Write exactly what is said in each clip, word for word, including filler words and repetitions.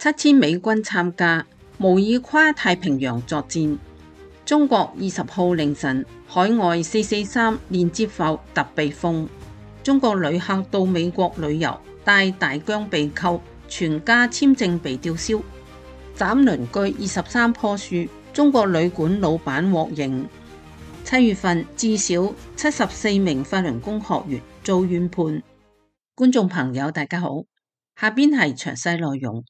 七千美軍參加，模擬跨太平洋作戰。中國二十號凌晨，海外四四三連接埠突被封。中國旅客到美國旅遊，但大疆被扣，全家簽證被吊銷。斬鄰居二十三棵樹，中國旅館老闆獲刑。七月份至少七十四名法輪功學員遭冤判。觀眾朋友大家好，下邊係詳細內容。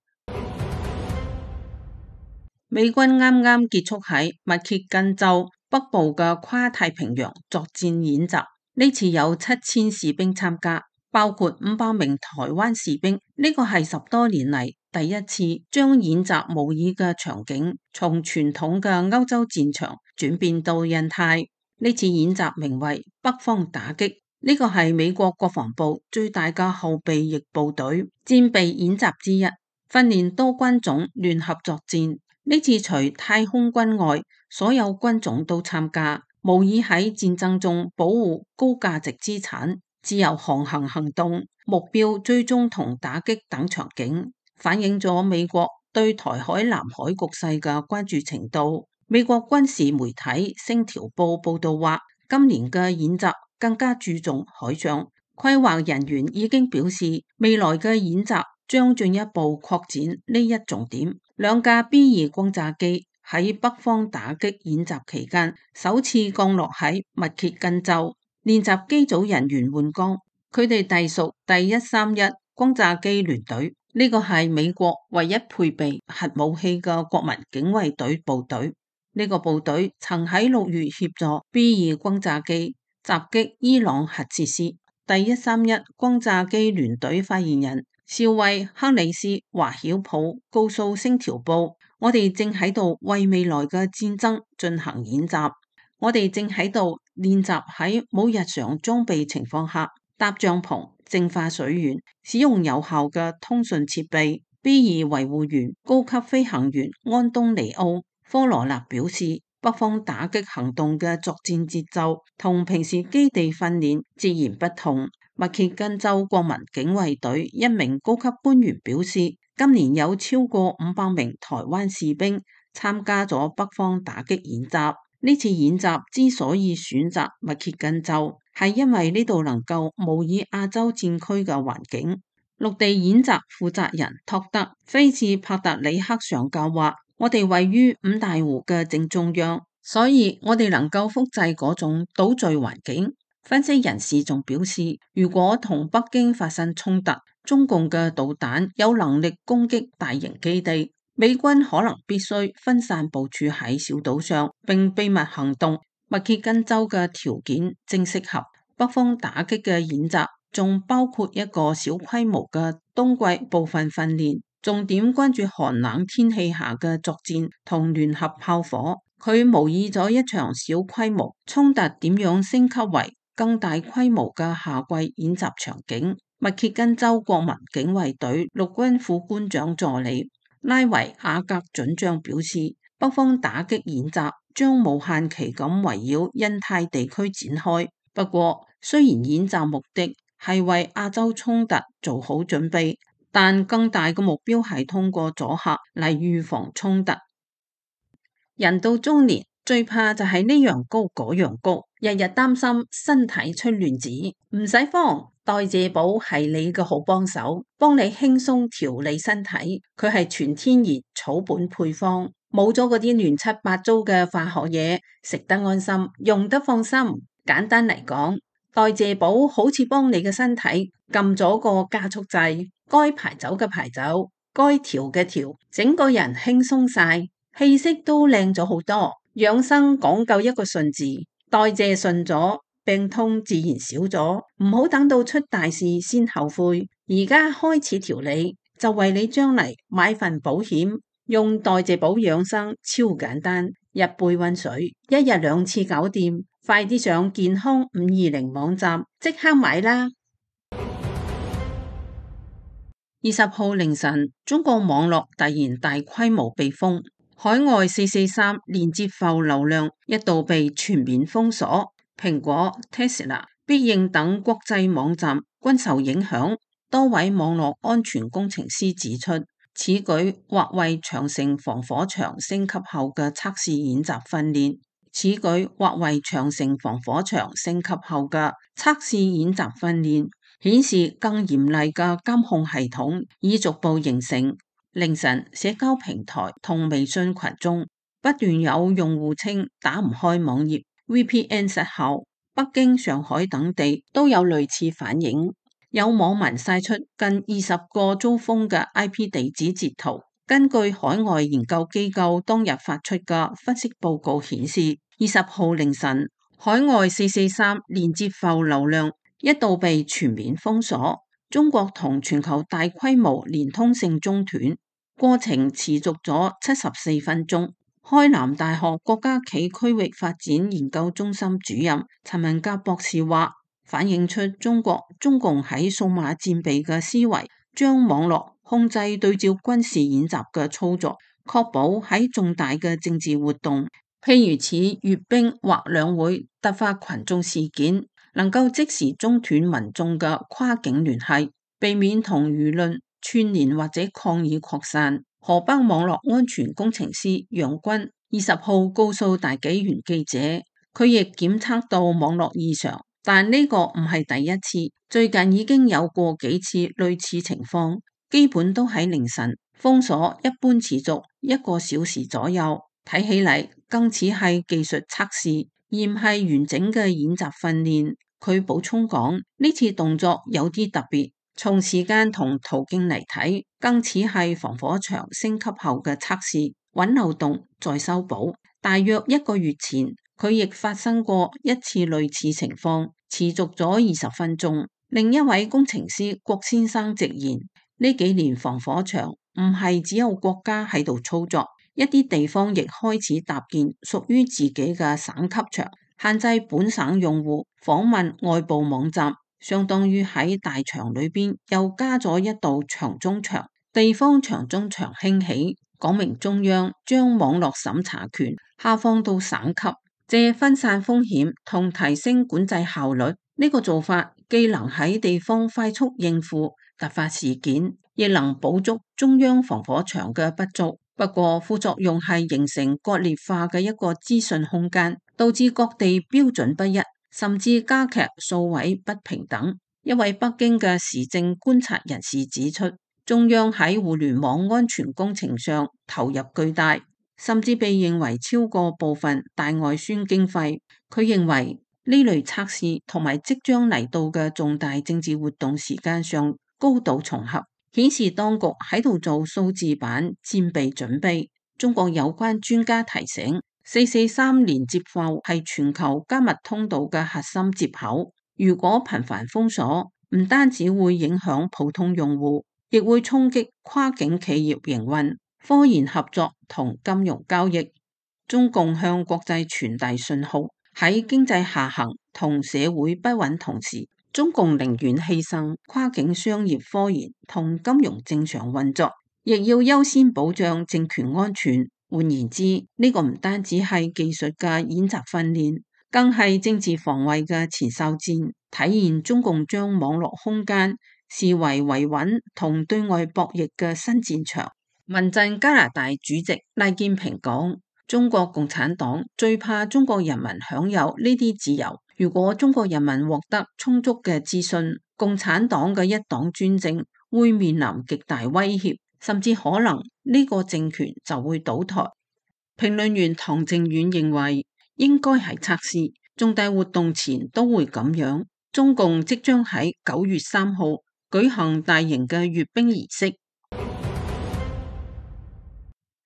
美軍啱啱結束喺密歇根州北部嘅跨太平洋作戰演習，呢次有七千士兵參加，包括五百名台灣士兵。呢個係十多年嚟第一次將演習模擬嘅場景從傳統嘅歐洲戰場轉變到印太。呢次演習名為北方打擊，呢個係美國國防部最大嘅後備役部隊戰備演習之一，訓練多軍種聯合作戰。呢次除太空軍外，所有軍種都參加，模擬喺戰爭中保護高價值資產、自由航行行動、目標追蹤同打擊等場景，反映咗美國對台海南海局勢嘅關注程度。美國軍事媒體星條報報道話，今年嘅演習更加注重海上，規劃人員已經表示，未來嘅演習將進一步擴展呢一重點。兩架 B 二轟炸機喺北方打擊演習期間首次降落喺密歇根州，練習機組人員換崗，佢哋隸屬第一三一轟炸機聯隊，呢個係美國唯一配備核武器嘅國民警衛隊部隊。呢個部隊曾喺六月協助 B 二轟炸機襲擊伊朗核設施。第一三一轟炸機聯隊發言人少尉克里斯華曉普告訴星條報，我哋正喺度為未來嘅戰爭進行演習，我哋正喺度練習喺冇日常裝備情況下搭帳篷、淨化水源、使用有效嘅通訊設備。B 二維護員高級飛行員安東尼奧科羅納表示，北方打擊行動嘅作戰節奏同平時基地訓練截然不同。密歇根州國民警衛隊一名高級官員表示，今年有超過五百名台灣士兵參加咗北方打擊演習。呢次演習之所以選擇密歇根州，係因為呢度能夠模擬亞洲戰區嘅環境。陸地演習負責人托德菲茨帕特里克上校話，我哋位於五大湖嘅正中央，所以我哋能夠複製嗰種島嶼環境。分析人士仲表示，如果同北京發生衝突，中共嘅導彈有能力攻擊大型基地，美軍可能必須分散部署喺小島上，並秘密行動。密歇根州嘅條件正適合北方打擊嘅演習，仲包括一個小規模嘅冬季部分訓練，重點關注寒冷天氣下嘅作戰同聯合炮火。佢模擬咗一場小規模衝突點樣升級為更大規模嘅夏季演習場景。密歇根州國民警衛隊陸軍副官長助理拉維亞格准將表示，北方打擊演習將無限期咁圍繞印太地區展開。不過，雖然演習目的係為亞洲衝突做好準備，但更大嘅目標係通過阻嚇嚟預防衝突。人到中年最怕就係呢樣高嗰樣高，日日擔心身體出亂子。唔使慌，代謝寶係你嘅好幫手，幫你輕鬆調理身體。佢係全天然草本配方，冇咗嗰啲亂七八糟嘅化學嘢，食得安心，用得放心。簡單嚟講，代謝寶好似幫你嘅身體撳咗個加速掣，該排走嘅排走，該調嘅調，整個人輕鬆晒，氣色都靚咗好多。養生講究一個順字，代謝順咗，病痛自然少咗。唔好等到出大事先後悔，而家開始調理，就為你將嚟買份保險。用代謝寶養生超簡單，一杯溫水，一日兩次搞掂。快啲上健康五二零網站即刻買啦！二十號凌晨，中國網絡突然大規模被封。海外四四三連接埠流量一度被全面封鎖，蘋果、Tesla、必應等國際網站均受影響。多位網絡安全工程師指出，此舉或為長城防火牆升級後嘅測試演習訓練。此舉或為長城防火牆升級後嘅測試演習訓練，顯示更嚴厲嘅監控系統已逐步形成。凌晨，社交平台同微信群中不斷有用戶稱打唔開網頁、V P N 失效。北京、上海等地都有類似反應。有網民晒出近二十個遭封嘅 I P 地址截圖。根據海外研究機構當日發出嘅分析報告顯示，二十號凌晨，海外四四三連接埠流量一度被全面封鎖，中國同全球大規模連通性中斷，過程持續咗七十四分鐘。開南大學國家暨區域發展研究中心主任陳文甲博士話，反映出中國中共喺數碼戰備嘅思維，將網絡控制對照軍事演習嘅操作，確保喺重大嘅政治活動，譬如似閱兵或兩會突發群眾事件，能夠即時中斷民眾嘅跨境聯繫，避免同輿論串聯或者抗議擴散。河北網絡安全工程師楊軍二十號告訴大紀元記者，佢亦檢測到網絡異常，但呢個唔係第一次，最近已經有過幾次類似情況，基本都喺凌晨。封鎖一般持續一個小時左右，睇起嚟更似係技術測試，而唔係完整嘅演習訓練。佢補充講，呢次動作有啲特別。從時間同途徑嚟睇，更似係防火牆升級後嘅測試，揾漏洞再修補。大約一個月前，佢亦發生過一次類似情況，持續咗二十分鐘。另一位工程師郭先生直言，呢幾年防火牆唔係只有國家喺度操作，一啲地方亦開始搭建屬於自己嘅省級牆，限制本省用戶訪問外部網站。相當於喺大牆裏邊又加咗一道牆中牆，地方牆中牆興起，講明中央將網絡審查權下放到省級，借分散風險同提升管制效率。呢個做法既能喺地方快速應付突發事件，亦能補足中央防火牆嘅不足。不過副作用係形成割裂化嘅一個資訊空間，導致各地標準不一，甚至加劇數位不平等。一位北京嘅時政觀察人士指出，中央喺互聯網安全工程上投入巨大，甚至被認為超過部分大外宣經費。佢認為呢類測試同埋即將嚟到嘅重大政治活動時間上高度重合，顯示當局喺度做數字版戰備準備。中國有關專家提醒，四四三連接埠係全球加密通道嘅核心接口，如果頻繁封鎖，唔單止會影響普通用戶，亦會衝擊跨境企業營運、科研合作同金融交易。中共向國際傳遞信號，喺經濟下行同社會不穩同時，中共寧願犧牲跨境商業科研同金融正常運作，亦要優先保障政權安全。換言之，呢個唔單止係技術嘅演習訓練，更係政治防衛嘅前哨戰，體現中共將網絡空間視為維穩同對外博弈嘅新戰場。民陣加拿大主席賴建平講，中國共產黨最怕中國人民享有呢啲自由。如果中國人民獲得充足嘅資訊，共產黨嘅一黨專政會面臨極大威脅，甚至可能呢個政權就會倒台。評論員唐靖遠認為，應該係測試，重大活動前都會咁樣。中共即將喺九月三號舉行大型嘅閱兵儀式。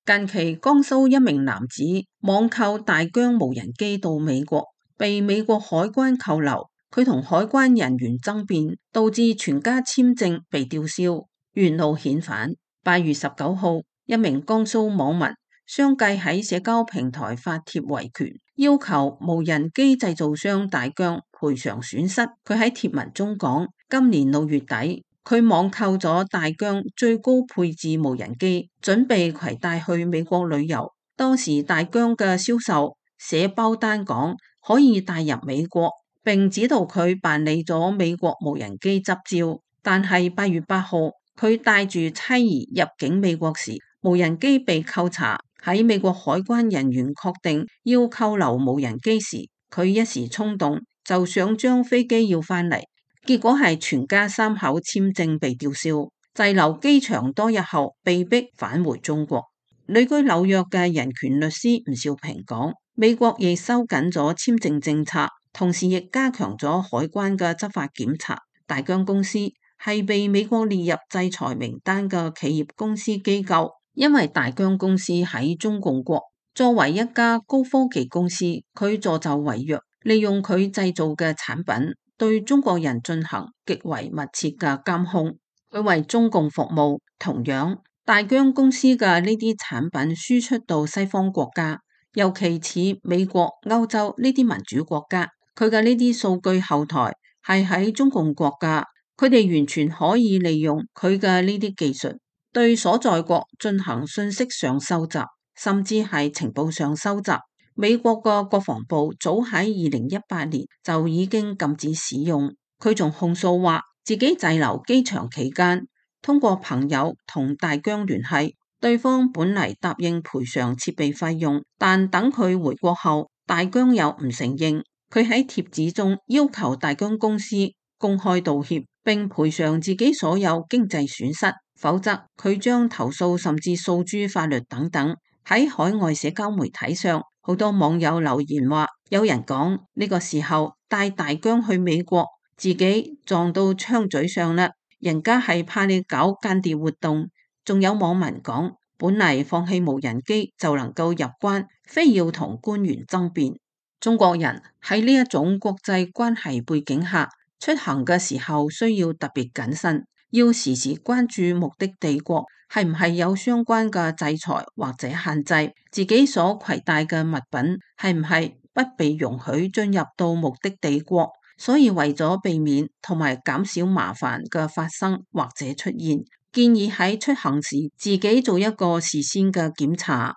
近期江蘇一名男子網購大疆無人機到美國，被美國海關扣留，佢同海關人員爭辯，導致全家簽證被吊銷，原路遣返。八月十九號，一名江蘇網民相繼喺社交平台發帖維權，要求無人機製造商大疆賠償損失。佢喺帖文中講，今年六月底，佢網購咗大疆最高配置無人機，準備攜帶去美國旅遊。當時大疆嘅銷售寫包單講可以帶入美國，並指導佢辦理咗美國無人機執照。但係八月八號，佢帶住妻兒入境美國時，無人機被扣查，喺美國海關人員確定要扣留無人機時，佢一時衝動就想將飛機要返嚟，結果係全家三口簽證被吊銷，滯留機場多日後被逼返回中國。旅居紐約嘅人權律師吳兆平講，美國亦收緊咗簽證政策，同時亦加強咗海關嘅執法檢查。大疆公司係被美國列入制裁名單嘅企業公司機構，因為大疆公司喺中共國作為一家高科技公司，佢助紂為虐，利用佢製造嘅產品對中國人進行極為密切嘅監控，佢為中共服務。同樣，大疆公司嘅呢啲產品輸出到西方國家，尤其似美國、歐洲呢啲民主國家，佢嘅呢啲數據後台係喺中共國家，佢哋完全可以利用佢嘅呢啲技術，對所在國進行信息上收集，甚至係情報上收集。美國嘅國防部早喺二零一八年就已經禁止使用。佢仲控訴話，自己滯留機場期間，通過朋友同大疆聯繫，對方本嚟答應賠償設備費用，但等佢回國後，大疆又唔承認。佢喺帖子中要求大疆公司公開道歉，並賠償自己所有經濟損失，否則佢將投訴甚至訴諸法律等等。喺海外社交媒體上，好多網友留言話，有人講呢個時候帶大疆去美國，自己撞到槍嘴上啦，人家係怕你搞間諜活動。仲有網民講，本嚟放棄無人機就能夠入關，非要同官員爭辯。中國人喺呢一種國際關係背景下，出行嘅時候需要特別謹慎，要時時關注目的地國係唔係有相關嘅制裁或者限制，自己所攜帶嘅物品係唔係不被容許進入到目的地國。所以為咗避免同埋減少麻煩嘅發生或者出現，建議喺出行時自己做一個事先嘅檢查。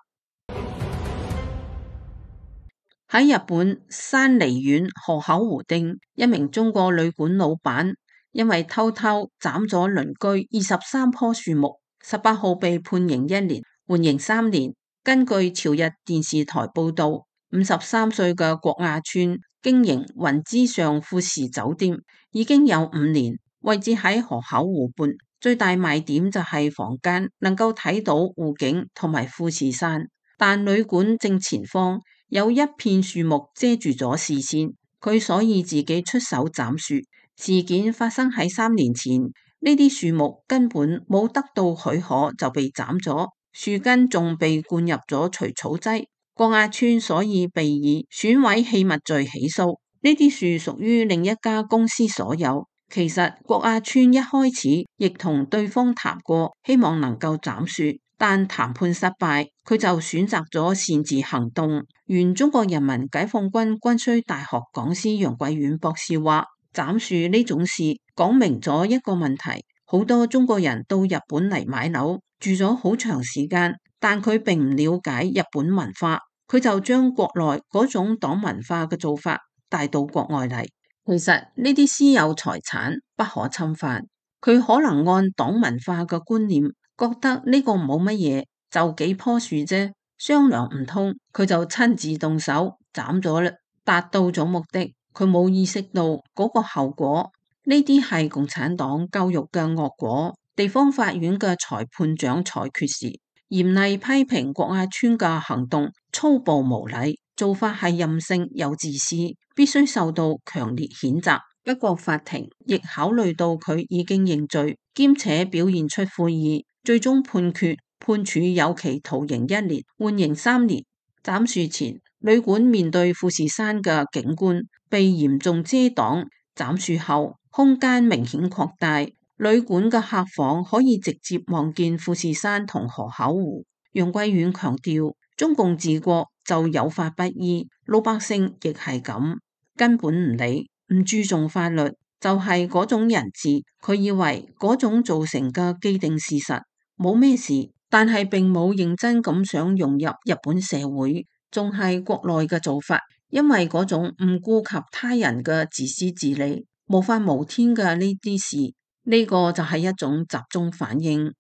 喺日本山梨縣河口湖町，一名中國旅館老闆因為偷偷斬咗鄰居二十三棵樹木，十八號被判刑一年，緩刑三年。根據朝日電視台報道，五十三歲嘅郭亞川經營雲之上富士酒店已經有五年，位置喺河口湖畔，最大賣點就係房間能夠睇到湖景同埋富士山，但旅館正前方有一片樹木遮住咗視線，佢所以自己出手斬樹。事件發生喺三年前，呢啲樹木根本冇得到許可就被斬咗，樹根仲被灌入咗除草劑。郭亞川所以被以損毀器物罪起訴。呢啲樹屬於另一家公司所有。其實郭亞川一開始亦同對方談過，希望能夠斬樹，但談判失敗，佢就選擇咗擅自行動。原中國人民解放軍軍需大學講師楊貴遠博士話，斬樹呢種事講明咗一個問題，好多中國人到日本嚟買樓，住咗好長時間，但佢並唔了解日本文化，佢就將國內嗰種黨文化嘅做法帶到國外嚟。其實呢啲私有財產不可侵犯，佢可能按黨文化嘅觀念，覺得呢個冇乜嘢，就幾棵樹啫，商量唔通，佢就親自動手斬咗啦，達到咗目的。佢冇意識到嗰個後果，呢啲係共產黨教育嘅惡果。地方法院嘅裁判長裁決時，嚴厲批評郭亞川嘅行動粗暴無禮，做法係任性又自私，必須受到強烈譴責。不過法庭亦考慮到佢已經認罪，兼且表現出悔意，最終判決判處有期徒刑一年，緩刑三年。斬樹前，旅館面對富士山嘅景觀被嚴重遮擋，斬樹後空間明顯擴大，旅館嘅客房可以直接望見富士山同河口湖。楊貴遠強調，中共治國就有法不依，老百姓亦係咁，根本唔理，唔注重法律，就係嗰種人治。佢以為嗰種造成嘅既定事實冇咩事，但係並冇認真咁想融入日本社會，仲係國內嘅做法。因為嗰種唔顧及他人嘅自私自利、無法無天嘅呢啲事，呢個就係一種集中反應。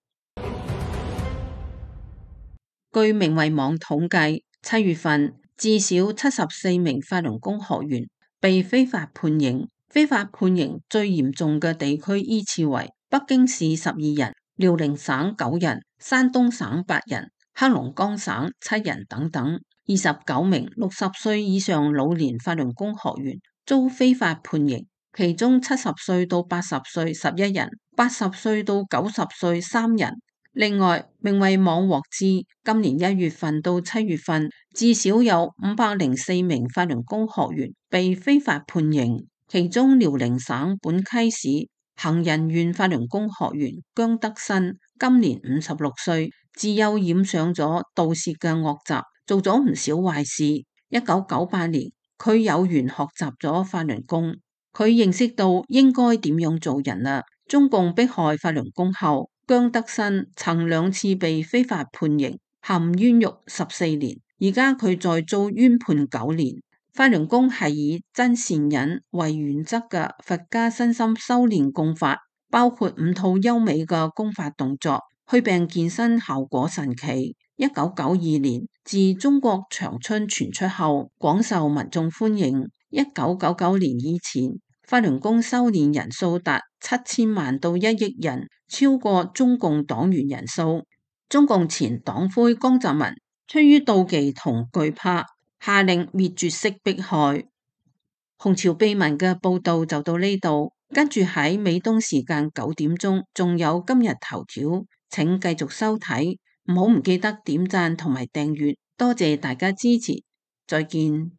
據明慧網統計，七月份至少七十四名法輪功學員被非法判刑。非法判刑最嚴重嘅地區依次為北京市十二人、遼寧省九人、山東省八人、黑龍江省七人等等。二十九名六十歲以上老年法輪功學員遭非法判刑，其中七十歲到八十歲十一人，八十歲到九十歲三人。另外，明慧網獲知，今年一月份到七月份，至少有五百零四名法輪功學員被非法判刑。其中遼寧省本溪市行人縣法輪功學員姜德新今年五十六歲，自幼染上咗盜竊嘅惡習，做咗唔少壞事。一九九八年，佢有緣學習咗法輪功，佢認識到應該點樣做人啦。中共迫害法輪功後，姜德新曾兩次被非法判刑，含冤獄十四年，而家佢再遭冤判九年。法輪功係以真善忍為原則嘅佛家身心修煉功法，包括五套優美嘅功法動作，祛病健身效果神奇。一九九二年自中國長春傳出後，廣受民眾歡迎。一九九九年以前，法輪功修煉人數達七千萬到一億人，超過中共黨員人數。中共前黨魁江澤民出於妒忌同懼怕，下令滅絕式迫害。紅潮秘聞嘅報道就到呢度，跟住喺美東時間九點鐘，仲有今日頭條，請繼續收睇，唔好唔記得點讚同埋訂閱，多謝大家支持，再見。